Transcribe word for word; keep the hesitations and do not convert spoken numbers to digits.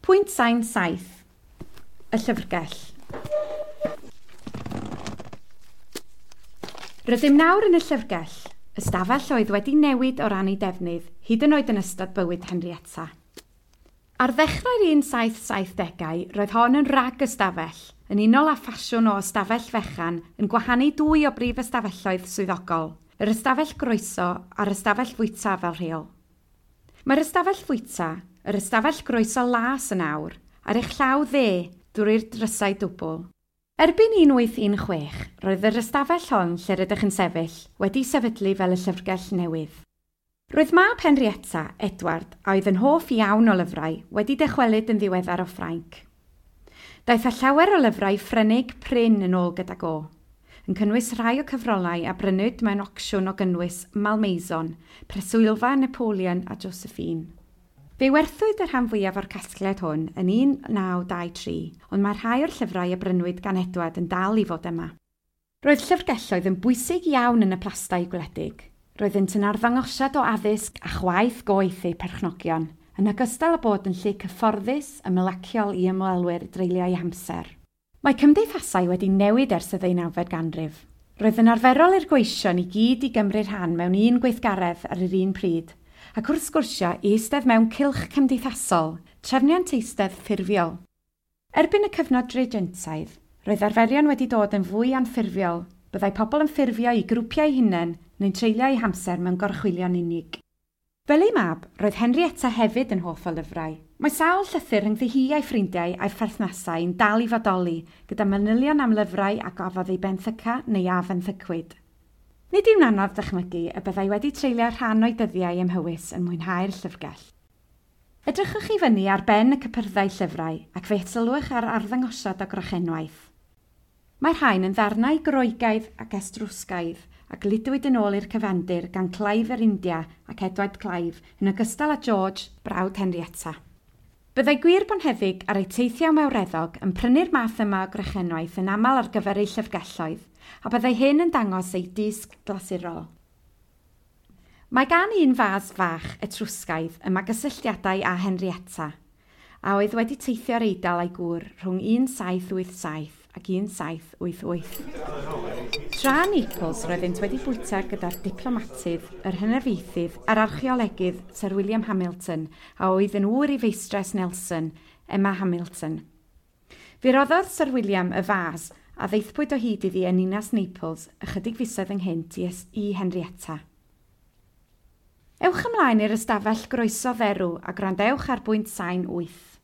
Pwynt sain saith. Y llyfrgell. Rydym nawr yn y llyfrgell, ystafell oedd wedi newid o ran ei defnydd, hyd yn oed yn ystod bywyd Henrietta. Ar ddechrau'r un saith saithdegau, roedd hon yn rag ystafell, yn unol â ffasiwn o ystafell fechan yn gwahanu dwy o brif ystafelloedd swyddogol, yr ystafell groeso a'r ystafell fwyta fel rheol. Mae'r ystafell fwyta, yr ystafell groeso las yn awr, ar eich llaw dde drwy'r drysau dwbl. Erbyn un wyth un chwech, roedd yr ystafell hon lle rydych yn sefyll wedi sefydlu fel y llyfrgell newydd. Roedd mab Henrietta, Edward, a oedd yn hoff iawn o lyfrau, wedi dychwelyd yn ddiweddar o Ffrainc. Daeth â llawer o lyfrau Ffrenig prin yn ôl gydag o, yn cynnwys rhai o cyfrolau a brynwyd mewn ocsiwn o gynnwys Malmaison, Preswylfa Napoleon a Josephine. Fe werthwyd y rhan fwyaf o'r casgliad hwn yn un naw dau tri, ond mae rhai o'r llyfrau a brynwyd gan Edward yn dal i fod yma. Roedd llyfrgelloedd yn bwysig iawn yn y plastai gwledig. Roeddynt yn arddangosiad o addysg a chwaeth goeth eu perchnogion, yn ogystal â bod yn lle cyfforddus ymlaciol i ymwelwyr dreulio eu hamser. Mae cymdeithasau wedi newid ers y ddeunawfed ganrif. Roedd yn arferol i'r gweision i gyd i gymryd rhan mewn un gweithgaredd ar yr un pryd, ac wrth sgwrsio i eistedd mewn cylch cymdeithasol, trefniant eistedd ffurfiol. Erbyn y cyfnod regentaidd, roedd arferion wedi dod yn fwy anffurfiol, byddai pobl yn ffurfio i grwpiau hunain neu'n treulio eu hamser mewn gorchwylion unig. Fel ei mab, roedd Henrietta hefyd yn hoff o lyfrau. Mae sawl llythyr rhyngddi hi a'i ffrindiau a'i pherthnasau yn dal i fodoli, gyda manylion am lyfrau a gafodd ei benthyca neu a fenthycwyd. Nid yw'n anodd dychmygu y byddai wedi treulio rhan o'i dyddiau ym Mhywys yn mwynhau'r llyfrgell. Edrychwch i fyny ar ben y cypyrddau llyfrau ac fe sylwch ar arddangosiad o grochenwaith. Mae'r rhain yn ddarnau Groegaidd ac Estrwsgaidd a gludwyd yn ôl i'r cyfandir gan Clive yr India ac Edward Clive yn ogystal â George, brawd Henrietta. Byddai gwir bonheddig ar eu teithiau mawreddog yn prynu'r math yma o grochenwaith yn aml ar gyfer eu llyfrgelloedd, a byddai hyn yn dangos eu dysg glasurol. Mae gan un fas fach Etrwsgaidd yma gysylltiadau â Henrietta, a oedd wedi teithio'r Eidal a'i gŵr rhwng un saith wyth saith ac un saith wyth wyth. Tra Naples roeddynt wedi bwyta gyda'r diplomatydd, yr hynafiaethydd a'r archeolegydd Sir William Hamilton, a oedd yn ŵr i feistres Nelson, Emma Hamilton. Fe roddodd Sir William y fas a ddaethpwyd o hyd iddi yn ninas Naples ychydig fisoedd ynghynt i, i Henrietta. Ewch ymlaen i'r ystafell groeso dderw a gwrandewch ar bwynt sain wyth.